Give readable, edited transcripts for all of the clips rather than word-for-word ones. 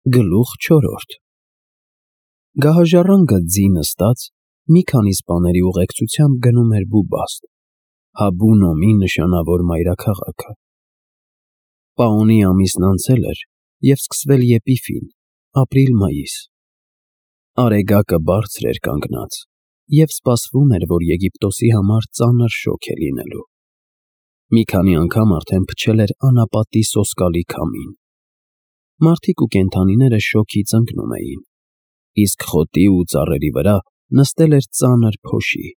Գլուխ 4 Գահաժառանգը ձի նստած մի քանի սպաների ուղեկցությամբ գնում էր Բուբաստ, Հաբու Նոմի նշանավոր մայրաքաղաքը։ Պաոնի ամիսն անցել էր և սկսվել Եպիֆին, ապրիլ-մայիս։ Արեգակը բարձր էր կանգնած, և սպասվում էր, որ Եգիպտոսի համար ծանր շոգ է լինելու։ Մի քանի անգամ արդեն փչել էր անապատի սոսկալի քամին։ Մարդիկ ու կենդանիները շոգից ընկնում էին, իսկ խոտի ու ծառերի վրա նստել էր ծանր փոշի,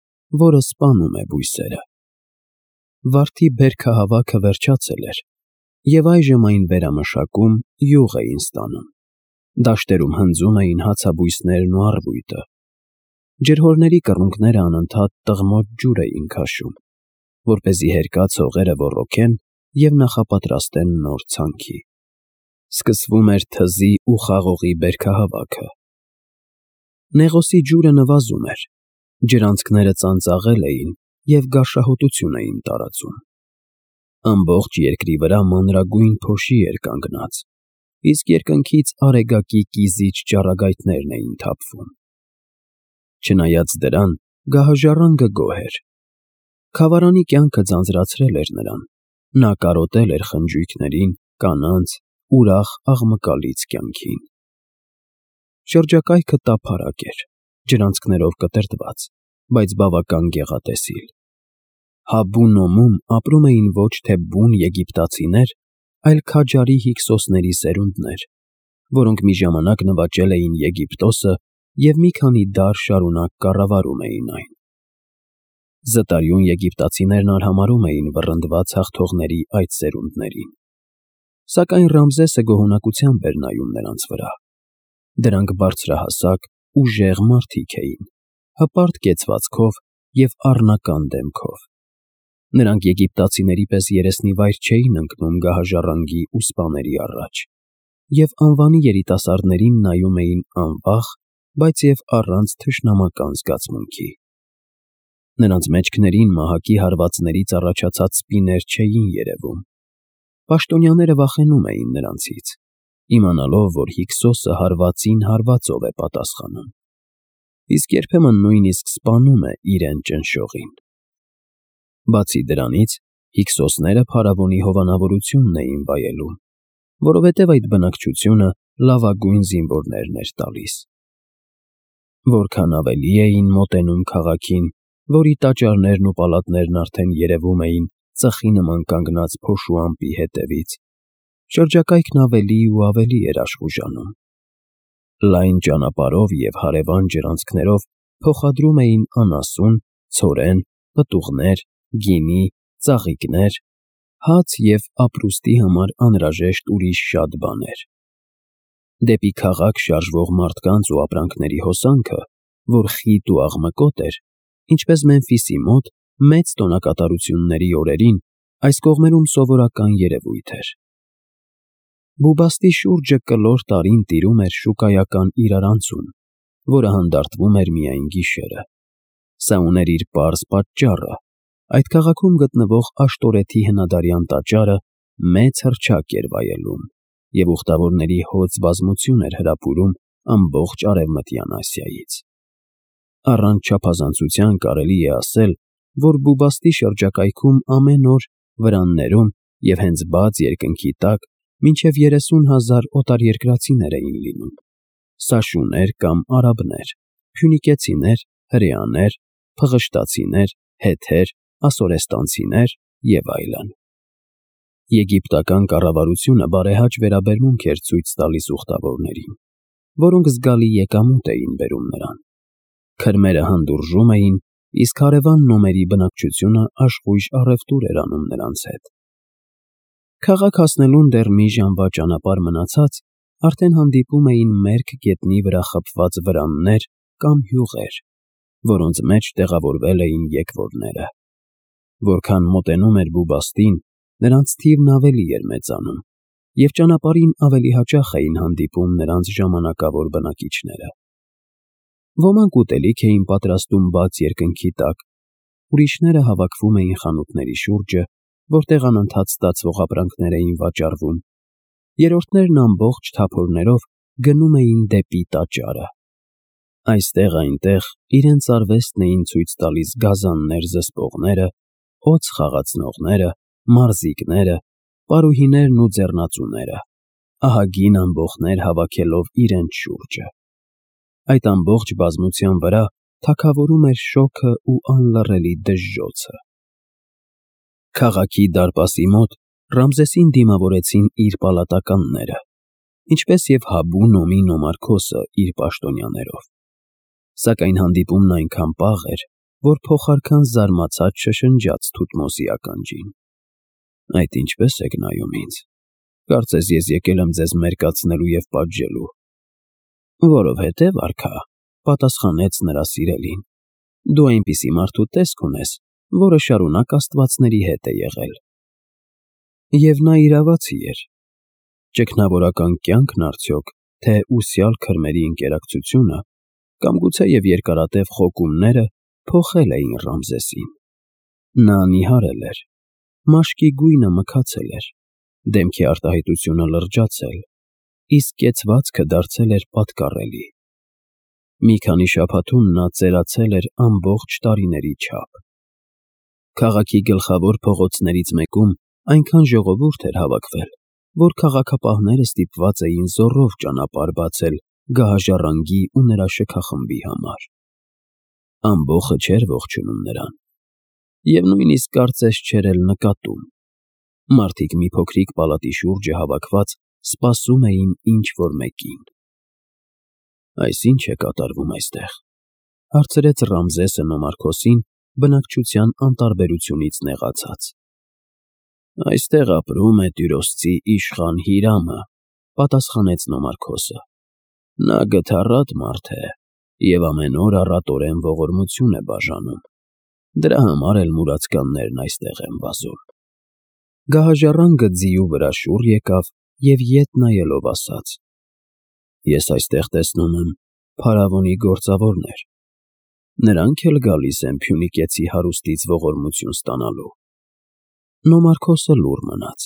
որը սպանում է բույսերը։ Վարդի բերքահավաքը վերջացել էր, և այժմ այն վերամշակում յուղ էին ստանում։ Դաշտերում հնձում էին հացաբույսներն ու առվույտը։ Ջրհորների կռունկները անընդհատ տղմոջ ջուր էին քաշում, որպեսզի հերկած հողերը ոռոգեն և նախապատրաստեն նոր ցանքի։ Սկսվում էր թզի ու խաղողի բերքահավաքը։ Նեղոսի ջուրը նվազում էր, ջրանցքները ծանծաղել էին և գարշահոտություն էին տարածում։ Ամբողջ երկրի վրա մանրագույն փոշի էր կանգնած, իսկ երկնքից արեգակի կիզիչ ճառագայթներն էին թափվում։ Չնայած դրան, գահաժառանգը գոհ էր։ Քավարանի կյանքը ձանձրացրել էր նրան, նա կարոտել էր խնջույքներին, կանանց, ուրախ աղմկալից կյանքին։ Շրջակայքը տափարակ էր, ջրանցքներով կտրտված, բայց բավական գեղատեսիլ։ Հաբու Նոմում ապրում էին ոչ թե բուն եգիպտացիներ, այլ քաջարի հիքսոսների սերունդներ, որոնք մի ժամանակ նվաճել էին Եգիպտոսը և մի քանի դար շարունակ կառավարում էին այն։ Զտարյուն եգիպտացիներն արհամարհում էին վռնդված հաղթողների այդ սերունդներին։ Սակայն Ռամզեսը գոհունակությամբ էր նայում նրանց վրա։ Դրանք բարձրահասակ, ուժեղ մարդիկ էին, հպարտ կեցվածքով և առնական դեմքով։ Նրանք եգիպտացիների պես երեսնիվայր չէին ընկնում գահաժառանգի ու սպաների առաջ, և անվանի երիտասարդներին նայում էին անվախ, բայց և առանց թշնամական զգացմունքի։ Նրանց մեջքներին մահակի հարվածներից առաջացած սպիներ չէին երևում։ Պաշտոնյաները վախենում էին նրանցից, իմանալով, որ Հիքսոսը հարվածին հարվածով է պատասխանում, իսկ երբեմն նույնիսկ սպանում է իրեն ճնշողին։ Բացի դրանից, հիքսոսները փարավոնի հովանավորությունն էին վայելում, որովհետև այդ բնակչությունը լավագույն զինվորներն էր տալիս։ Որքան ավելի էին մոտենում քաղաքին, որի տաճարներն ու պալատներն արդեն երևում էին ծխի նման կանգնած փոշու ամպի հետևից, շրջակայքն ավելի ու ավելի էր աշխուժանում։ Լայն ճանապարհով և հարևան ջրանցքներով փոխադրում էին անասուն, ցորեն, պտուղներ, գինի, ծաղիկներ, հաց և ապրուստի համար անհրաժեշտ ուրիշ շատ բաներ։ Դեպի քաղաք շարժվող մարդկանց ու ապրանքների հոսանքը, որ խիտ ու աղմկոտ էր, ինչպես Մեմֆիսի մոտ, մեծ տոնակատարությունների օրերին, այս կողմերում սովորական երևույթ էր։ Բուբաստի շուրջը կլոր տարին տիրում էր շուկայական իրարանցում, որը հանդարտվում էր միայն գիշերը։ Սա ուներ իր պարզ պատճառը. այդ քաղաքում գտնվող Աշտորեթի հնադարյան տաճարը մեծ հռչակ էր վայելում և ուխտավորների հոծ բազմություն էր հրապուրում ամբողջ Արևմտյան Ասիայից։ Առանց չափազանցության կարելի է ասել, որ Բուբաստի շրջակայքում ամեն օր վրաններում և հենց բաց երկնքի տակ մինչև 30,000 օտարերկրացիներ էին լինում՝ սաշուներ կամ արաբներ, փյունիկեցիներ, հրեաներ, փղշտացիներ, հեթեր, ասորեստանցիներ և այլն։ Եգիպտական կառավարությունը բարեհաճ վերաբերմունք էր ցույց տալիս ուխտավորներին, որոնք զգալի եկամուտ էին բերում նրան։ Քրմերը հանդուրժում էին, իսկ հարևան Նոմերի բնակչությունը աշխույժ առևտուր էր անում նրանց հետ։ Քաղաք հասնելուն դեռ մի ժամվա ճանապարհ մնացած արդեն հանդիպում էին մերկ գետնի վրա խփված վրաններ կամ հյուղեր, որոնց մեջ տեղավորվել էին եկվորները։ Որքան մոտենում էր Բուբաստին, նրանց թիվն ավելի էր մեծանում, և ճանապարհին ավելի հաճախ էին հանդիպում նրանց ժամանակավոր բնակիչները։ Ոմանք ուտելիք էին պատրաստում բաց երկնքի տակ, ուրիշները հավաքվում էին խանութների շուրջը, որտեղ անընդհատ ստացվող ապրանքներ էին վաճառվում, երրորդներն ամբողջ թափորներով գնում էին դեպի տաճարը։ Այստեղ-այնտեղ իրենց արվեստն էին ցույց տալիս գազաններ զսպողները, օձ խաղացնողները, մարզիկները, պարուհիներն ու ձեռնածուները, ահագին ամբոխներ հավաքելով իրենց շուրջը։ Այդ ամբողջ բազմության վրա թագավորում էր շոգը ու անլռելի դժժոցը։ Քաղաքի դարպասի մոտ Ռամզեսին դիմավորեցին իր պալատականները, ինչպես և Հաբու Նոմի Նոմարքոսը իր պաշտոնյաներով։ Սակայն հանդիպումն այնքան պաղ էր, որ փոխարքան զարմացած շշնջաց Թութմոսի ականջին. «Այդ ինչպե՞ս եք նայում ինձ, կարծես ես եկել եմ ձեզ մերկացնելու և պատժելու»։ «Որովհետև, արքա», պատասխանեց նրա սիրելին, «դու այնպիսի մարդու տեսք ունես, որը շարունակ աստվածների հետ է եղել»։ Եվ նա իրավացի էր։ Ճգնավորական կյանքն արդյոք, թե ուսյալ քրմերի ընկերակցությունը, կամ գուցեև երկարատև խոկումները փոխել էին Ռամզեսին։ Նա նիհարել էր, մաշկի գույնը մքացել էր, դեմքի արտահայտությունը լրջացել, իսկ կեցվածքը դարձել էր պատկառելի։ Մի քանի շաբաթում նա ծերացել էր ամբողջ տարիների չափ։ Քաղաքի գլխավոր փողոցներից մեկում այնքան ժողովուրդ էր հավաքվել, որ քաղաքապահները ստիպված էին զոռով ճանապարհ բացել գահաժառանգի ու նրա շքախմբի համար։ Ամբոխը չէր ողջունում նրան, և նույնիսկ կարծես չէր էլ նկատում։ Մարդիկ մի փոքրիկ պալատի շուրջը հավաքված սպասում էին ինչ-որ մեկին։ «Այս ի՞նչ է կատարվում այստեղ», հարցրեց Ռամզեսը Նոմարքոսին բնակչության անտարբերությունից նեղացած։ «Այստեղ ապրում է տյուրոսցի իշխան Հիրամը», պատասխանեց Նոմարքոսը։ «Նա գթառատ մարդ է և ամեն օր առատորեն ողորմություն է բաժանում։ Դրա համար էլ մուրացկաններն այստեղ են վազում»։ Գահաժառանգը ձիու վրա շուռ եկավ և ետ նայելով ասաց. «Ես այստեղ տեսնում եմ փարավոնի գործավորներ. նրանք էլ գալիս են Փյունիկեցի հարուստից ողորմություն ստանալու»։ Նոմարքոսը լուռ մնաց։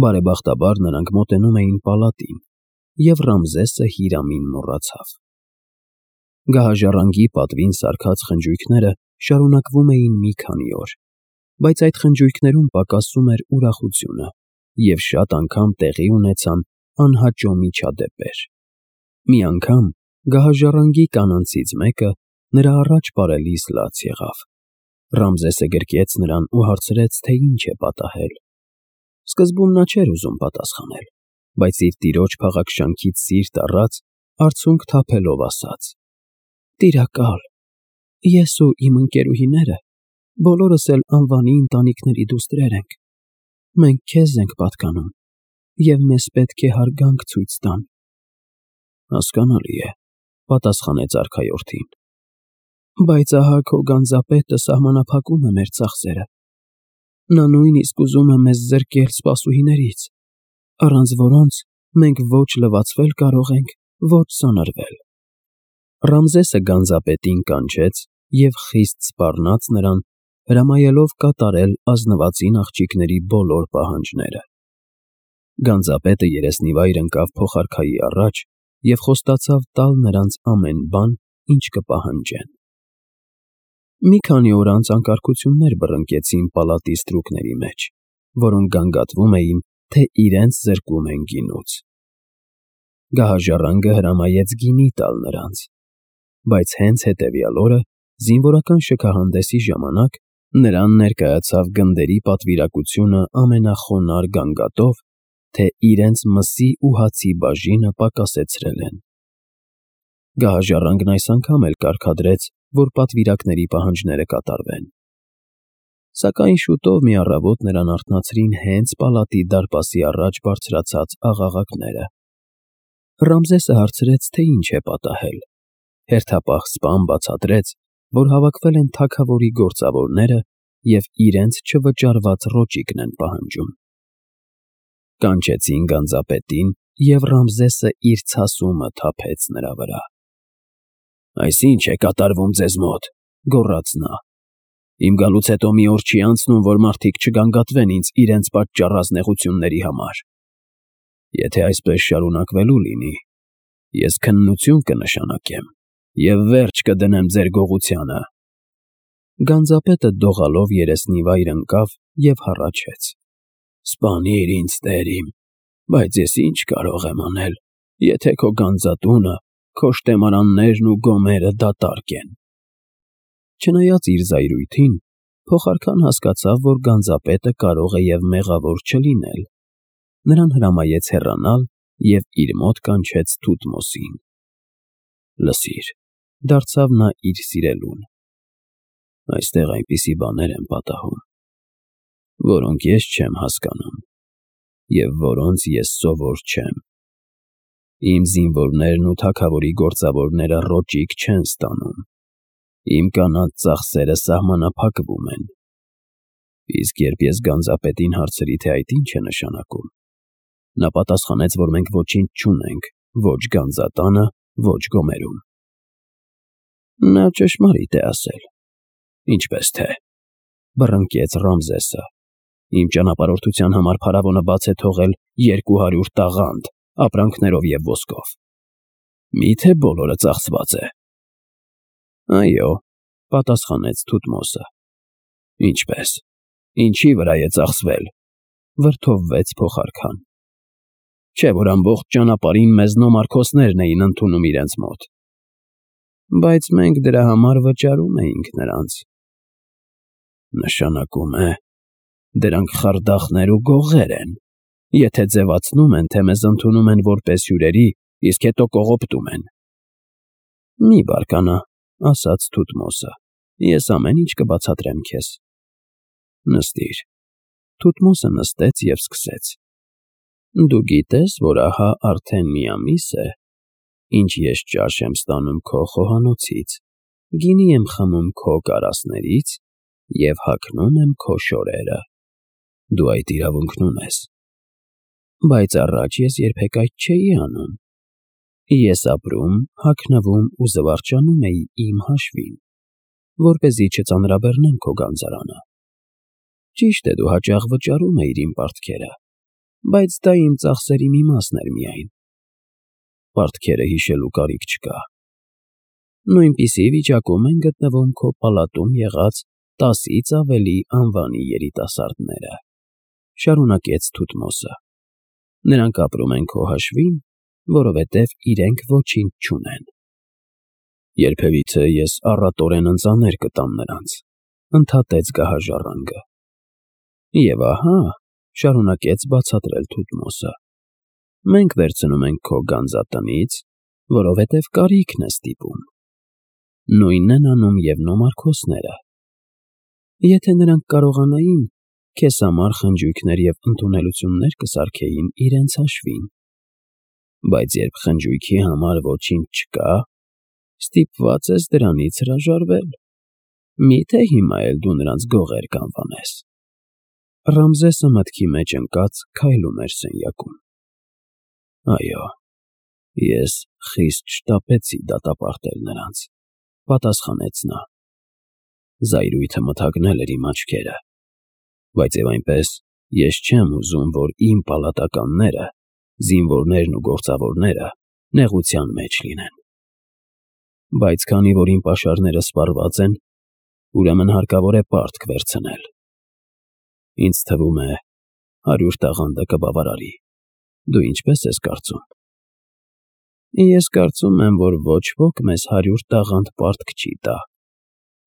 Բարեբախտաբար նրանք մոտենում էին պալատին, և Ռամզեսը Հիրամին մոռացավ։ Գահաժառանգի պատվին սարքած խնջույքները շարունակվում էին մի քանի օր, բայց այդ խնջույքներում պակասում էր ուրախությունը, և շատ անգամ տեղի ունեցան անհաճո միջադեպեր։ Մի անգամ գահաժառանգի կանանցից մեկը նրա առաջ պարելիս լաց եղավ։ Ռամզեսը գրկեց նրան ու հարցրեց, թե ինչ է պատահել։ Սկզբում նա չէր ուզում պատասխանել, բայց իր տիրոջ փաղաքշանքից սիրտ առած, արցունք թափելով ասաց. «Տիրակալ, ես ու իմ ընկերուհիները բոլորս էլ անվանի ընտանիքների դուստրեր ենք։ Մենք քեզ ենք պատկանում, և մեզ պետք է հարգանք ցույց տան»։ «Հասկանալի է», պատասխանեց արքայորդին, «բայց ահա քո գանձապետը սահմանափակում է մեր ծախսերը։ Նա նույնիսկ ուզում է մեզ զրկել սպասուհիներից, առանց որոնց մենք ոչ լվացվել կարող ենք, ոչ սանրվել»։ Ռամզեսը գանձապետին կանչեց և խիստ սպառնաց նրան, հրամայելով կատարել ազնվածին աղջիկների բոլոր պահանջները։ Գանձապետը երեսնիվայր ընկավ փոխարքայի առաջ և խոստացավ տալ նրանց ամեն բան, ինչ կպահանջեն։ Մի քանի օր անց անկարգություններ բռնկեցին պալատի ստրուկների մեջ, որոնք գանգատվում էին, թե իրենց զրկում են գինուց։ Գահաժառանգը հրամայեց գինի տալ նրանց, բայց հենց հետևյալ օրը, զինվորական շքահանդեսի ժամանակ, նրան ներկայացավ գնդերի պատվիրակությունը ամենախոնարհ գանգատով, թե իրենց մսի ու հացի բաժինը պակասեցրել են։ Գահաժառանգն այս անգամ էլ կարգադրեց, որ պատվիրակների պահանջները կատարվեն։ Սակայն շուտով մի առավոտ նրան արթնացրին հենց պալատի դարպասի առաջ բարձրացած աղաղակները։ Ռամզեսը հարցրեց, թե ինչ է պատահել։ Հերթապահ սպան բացատրեց, որ հավաքվել են թագավորի գործավորները և իրենց չվճարված ռոճիկն են պահանջում։ Կանչեցին գանձապետին, և Ռամզեսը իր ցասումը թափեց նրա վրա։ «Այս ի՞նչ է կատարվում ձեզ մոտ», գոռաց նա։ «Իմ գալուց հետո մի օր չի անցնում, որ մարդիկ չգանգատվեն ինձ իրենց պատճառած նեղությունների համար։ Եթե այսպես շարունակվելու լինի, Ես քննություն կնշանակեմ և վերջ կդնեմ ձեր գողությանը։ Գանձապետը դողալով երեսնի վայր ընկավ և հառաչեց. Սպանիր ինձ, տեր իմ, բայց ես ինչ կարող եմ անել, եթե քո գանձատունը, քո շտեմարաններն ու գոմերը դատարկ են։ Չնայած իր զայրույթին, փոխարքան հասկացավ, որ գանձապետը կարող է և մեղավոր չլինել։ Նրան հրամայեց հեռանալ և իր մոտ կանչեց Թութմոսին։ Լսիր, դարձավ նա իր սիրելուն, այստեղ այնպիսի բաներ են պատահում, որոնք ես չեմ հասկանում և որոնց ես սովոր չեմ։ Իմ զինվորներն ու թագավորի գործավորները ռոճիկ չեն ստանում, իմ կանանց ծախսերը սահմանափակվում են։ Իսկ երբ ես գանձապետին հարցրի, թե այդ ինչ է նշանակում, նա պատասխանեց, որ մենք ոչինչ չունենք ոչ գանձատանը, ոչ գոմերում։ Նա ճշմարիտ է ասել։ Ինչպես թե, բռնկեց Ռամզեսը։ Իմ ճանապարհորդության համար փարավոնը բաց է թողել 200 տաղանդ ապրանքներով և ոսկով։ Միթե բոլորը ծախսված է։ Այո, պատասխանեց Թութմոսը։ Ինչպես, ինչի վրա է ծախսվել, վրդովվեց փոխարքան։ Չէ՞ որ ամբողջ ճանապարհին մեզ նոմարքոսներն էին ընդունում իրենց մոտ։ Բայց մենք դրա համար վճարում էինք նրանց։ Նշանակում է, դրանք խարդախներ ու գողեր են, եթե ձևացնում են, թե մեզ ընդունում են որպես հյուրերի, իսկ հետո կողոպտում են։ Մի բարկանա, ասաց Թութմոսը, ես ամեն ինչ կբացատրեմ քեզ։ Նստիր։ Թութմոսը նստեց և սկսեց. Դու գիտես, որ ահա արդեն մի ամիս է, ինչ ես ճաշ եմ ստանում քո խոհանոցից, գինի եմ խմում քո կարասներից և հագնում եմ քո շորերը։ Դու այդ իրավունքն ունես։ Բայց առաջ ես երբեք այդ չէի անում։ Ես ապրում, հագնվում ու զվարճանում էի իմ հաշվին, որպեսզի չծանրաբեռնեմ քո գանձարանը։ Ճիշտ է, դու հաճախ վճարում էիր իմ պարտքերը, բայց դա իմ ծախսերի մի մասն էր միայն։ Պարտքերը հիշելու կարիք չկա։ Նույնպիսի վիճակում են գտնվում քո պալատում եղած 10-ից ավելի անվանի երիտասարդները, շարունակեց Թութմոսը։ Նրանք ապրում են քո հաշվին, որովհետև իրենք ոչինչ չունեն։ Երբևիցե ես առատորեն ընծաներ կտամ նրանց, ընդհատեց գահաժառանգը։ Եվ ահա, շարունակեց բացատրել Թութմոսը, մենք վերցնում ենք քո գանձատնից, որովհետև կարիքն է ստիպում։ Նույնն են անում և նոմարքոսները։ Եթե նրանք կարողանային, քեզ համար խնջույքներ և ընդունելություններ կսարքեին իրենց հաշվին։ Բայց երբ խնջույքի համար ոչինչ չկա, ստիպված ես դրանից հրաժարվել։ Միթե հիմա էլ դու նրանց գողեր կանվանես։ Ռամզեսը մտքի մեջ ընկած քայլում էր սենյակում։ Այո, ես խիստ շտապեցի դատապարտել նրանց, պատասխանեց նա։ Զայրույթը մթագնել էր իմ աչքերը, բայց և այնպես ես չեմ ուզում, որ իմ պալատականները, զինվորներն ու գործավորները նեղության մեջ լինեն։ Բայց քանի որ իմ պաշարները սպառված են, ուրեմն հարկավոր է պարտք վերցնել։ Ինձ թվում է 100 տաղանդը կբավարարի։ Դու ինչպես ես կարծում։ Ես կարծում եմ, որ ոչ ոք մեզ 100 տաղանդ պարտք չի տա,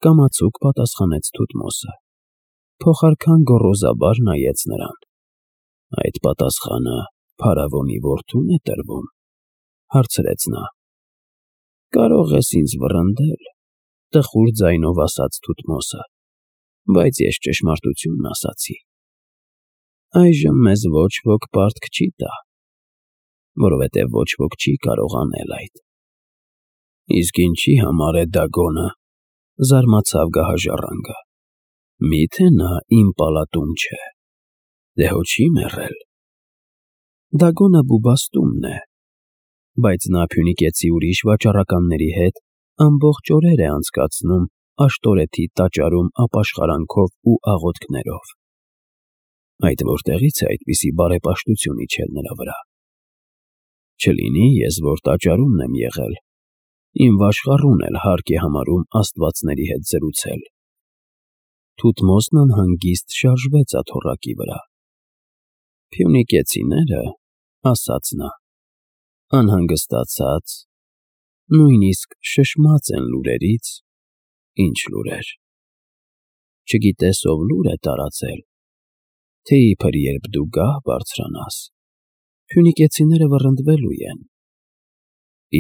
կամացուկ պատասխանեց Թութմոսը։ Փոխարքան գոռոզաբար նայեց նրան։ Այդ պատասխանը փարավոնի որդուն է տրվում, հարցրեց նա։ Կարող ես ինձ վռնդել, տխուր ձայնով ասաց Թութմոսը, բայց ես ճշմարտությունն ասացի։ Այժմ մեզ ոչ ոք պարտք չի տա, որովհետև ոչ ոք չի կարող անել այդ։ Իսկ ինչի համար է Դագոնը, զարմացավ գահաժառանգը։ Միթե նա իմ պալատում չէ։ Դե հո չի մեռել։ Դագոնը Բուբաստումն է, բայց նա Փյունիկեցի ուրիշ վաճառականների հետ ամբողջ օրեր է անցկացնում աշտորեթի տաճարում ապաշխարանքով ու աղոթքներով։ Այդ որտեղից է այդպիսի բարեպաշտություն իջել նրա վրա։ Չլինի ես, որ տաճարումն եմ եղել, իմ վաշխառուն էլ հարկ է համարում աստվածների հետ զրուցել։ Թութմոսն անհանգիստ շարժվեց աթոռակի վրա։ Փյունիկեցիները, ասաց նա, անհանգստացած, նույնիսկ շշմած են լուրերից, ինչ լուրեր։ Չգիտես ով լուր է տարածել, թե իբր երբ դու գահ բարձրանաս, փյունիկեցիները վռնդվելու են,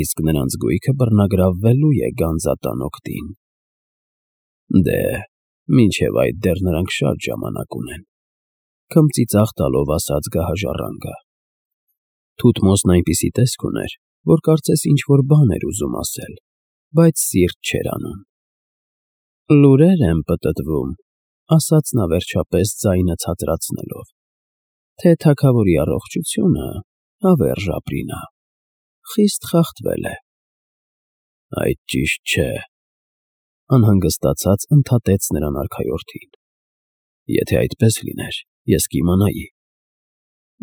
իսկ նրանց գույքը բռնագրավվելու է գանձատան օգտին։ Դե, մինչև այդ դեռ նրանք շատ ժամանակ ունեն, քմծիծաղ տալով ասաց գահաժառանգը։ Թութմոսն այնպիսի տեսք ուներ, որ կարծես ինչ-որ բան էր ուզում ասել, բայց սիրտ չէր անում։ Լուրեր են պտտվում, ասաց նա վերջապես ձայնը ցածրացնելով, թե թագավորի առողջությունը հավերժ ապրինա, խիստ խախտվել է։ Այդ ճիշտ չէ, անհանգստացած ընդհատեց նրան արքայորդին։ Եթե այդպես լիներ, ես կիմանայի։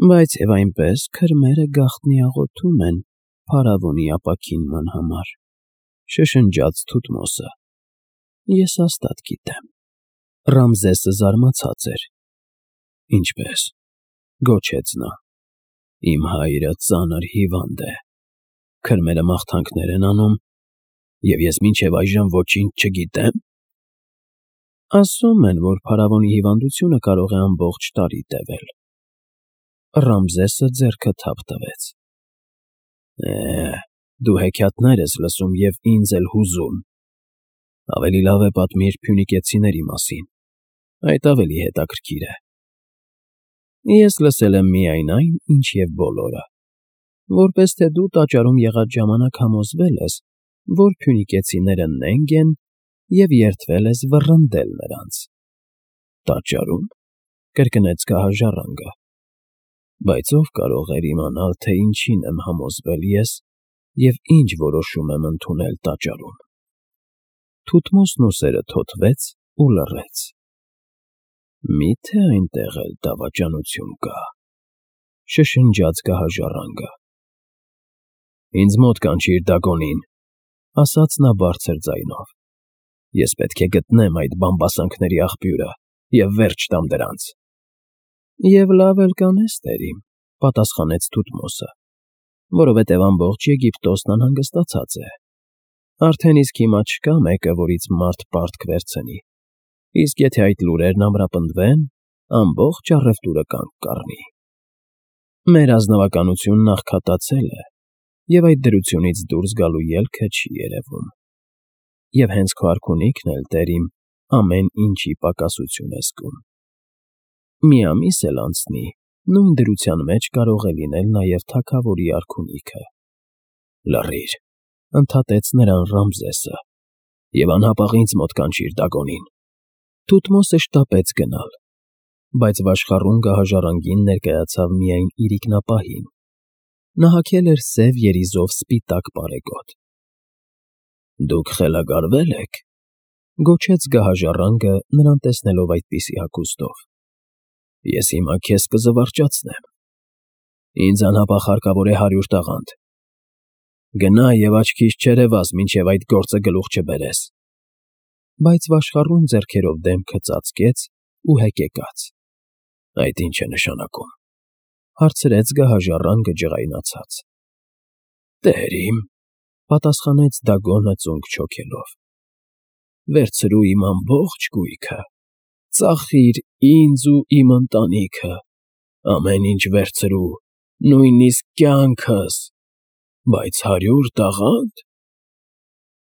Բայց եւ այնպես քրմերը գաղտնի աղոթում են փարավոնի ապաքինման համար, շշնջաց Թութմոսը։ Ես հաստատ գիտեմ։ Ռամզեսը զարմացած էր։ Ինչպես, գոչեց նա, իմ հայրը ծանր հիվանդ է, քրմերը մաղթանքներ են անում, եւ ես մինչև այժմ ոչինչ չգիտեմ։ Ասում են, որ փարավոնի հիվանդությունը կարող է ամբողջ տարի տևել։ Ռամզեսը ձեռքը թափ տվեց։ Դու հեքիաթներ ես լսում եւ ինձ էլ հուզում։ Ավելի լավ է պատմիր փյունիկեցիների մասին, այդ ավելի հետաքրքիր է։ Ես լսել եմ միայն այն, ինչ եւ բոլորը, որպես թե դու տաճարում եղած ժամանակ համոզվել ես, որ փյունիկեցիները նենգ են եւ երդվել ես վռնդել նրանց։ Տաճարում, կրկնեց գահաժառանգը։ Բայց ով կարող էր իմանալ, թե ինչին եմ համոզվել ես եւ ինչ որոշում եմ ընդունել տաճարում։ Թութմոսն ուսերը թոթվեց ու լռեց։ Միթե այնտեղ էլ դավաճանություն կա, շշնջաց գահաժառանգը։ Ինձ մոտ կանչիր Դագոնին, ասաց նա բարձր ձայնով։ Ես պետք է գտնեմ այդ բամբասանքների աղբյուրը եւ վերջ տամ դրանց։ Եվ լավ էլ կանես, տերիմ, պատասխանեց Թութմոսը, որովհետև ամբողջ Եգիպտոսն անհանգստացած է։ Արդեն իսկ հիմա չկա մեկը, որից մարդ պարտք վերցնի, իսկ եթե այդ լուրերն ամրապնդվեն, ամբողջ առևտուրը կանգ կառնի։ Մեր ազնվականությունն աղքատացել է, եւ այդ դրությունից դուրս գալու ելքը չի երևում։ Եվ հենց քո արքունիքն էլ, տերիմ, ամեն ինչի պակասություն է զգում։ Մի ամիս էլ անցնի, նույն դրության մեջ կարող է լինել նաև թագավորի արքունիքը։ Լռիր, ընդհատեց նրան Ռամզեսը, եւ անհապաղ ինձ մոտ կանչիր Դագոնին։ Թութմոսը շտապեց գնալ, բայց վաշխառուն գահաժառանգին ներկայացավ միայն իրիկնապահին։ Նա հագել էր սև երիզով սպիտակ պարեգոտ։ Դուք խելագարվե՞լ եք, գոչեց գահաժառանգը նրան տեսնելով այդպիսի հագուստով։ Ես հիմա քեզ կզվարճացնեմ։ Ինձ անհապաղ հարկավոր է 100 տաղանդ։ Գնա եւ աչքիս չերևաս, մինչև այդ գործը գլուխ չբերես։ Բայց վաշխառուն ձեռքերով դեմքը ծածկեց ու հեկեկաց։ Այդ ինչ է նշանակում, հարցրեց գահաժառանգը ջղայնացած։ Տերիմ, պատասխանեց Դագոնը ծունկ չոքելով։ Վերցրու իմ ամբողջ գույքը, ծախիր ինձ ու իմ ընտանիքը, ամեն ինչ վերցրու, նույնիսկ կյանքս, բայց 100 տաղանդ։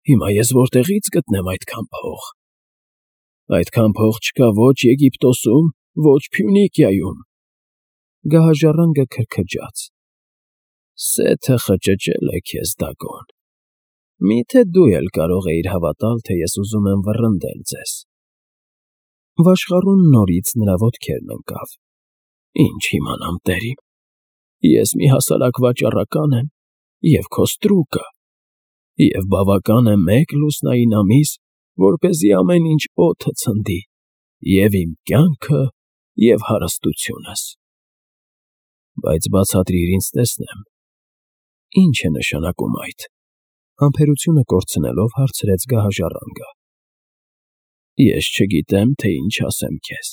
Հիմա ես որտեղից գտնեմ այդքան փող։ Այդքան փող չկա ոչ Եգիպտոսում, ոչ Փյունիկիայում։ Գահաժառանգը քրքջաց։ Սեթը խճճել է քեզ, Դագոն։ Միթե դու էլ կարող էիր հավատալ, թե ես ուզում եմ վռնդել ձեզ։ Վաշխառուն նորից նրա ոտքերն ընկավ։ Ինչ իմանամ, տերիմ։ Ես մի հասարակ վաճառական եմ եւ քո ստրուկը, եւ բավական է մեկ լուսնային ամիս, որպեսզի ամեն ինչ օդը ցնդի, եւ իմ կյանքը, եւ հարստությունս։ Բայց բացատրիր ինձ տեսնեմ, Ի՞նչ է նշանակում այդ։ Համբերությունը կորցնելով հարցրեց գահաժառանգը։ Ես չգիտեմ, թե ինչ ասեմ քեզ,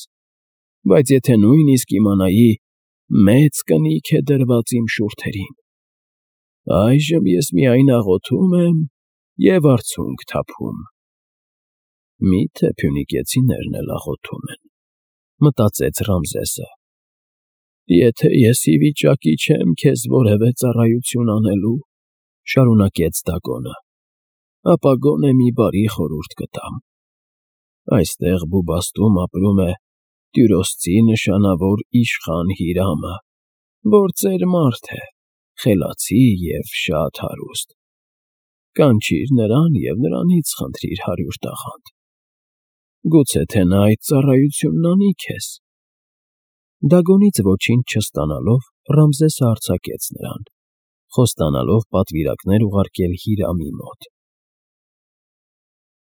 բայց եթե նույնիսկ իմանայի, մեծ կնիկ է դրված իմ շուրթերին։ Այժմ ես միայն աղոթում եմ և արցունք թափում։ Միթե փյունիկեցիներն էլ աղոթում են, մտածեց Ռամզեսը։ Եթե ես ի վիճակի չեմ քեզ որևէ ծառայություն անելու, շարունակեց Դագոնը, ապա գոնե մի բարի խորհուրդ կտամ։ Այստեղ բուբաստում ապրում է Տյուրոսցի նշանավոր իշխան Հիրամը, որ ծեր մարդ է, խելացի և շատ հարուստ։ Կանչիր նրան և նրանից խնդրիր 100 տաղանդ։ Գուցե թե նա այդ ծառայությունն անի քեզ։ Դագոնից ոչինչ չստանալով, Ռամզեսը արձակեց նրան, խոստանալով պատվիրակներ ուղարկել Հիրամի մոտ։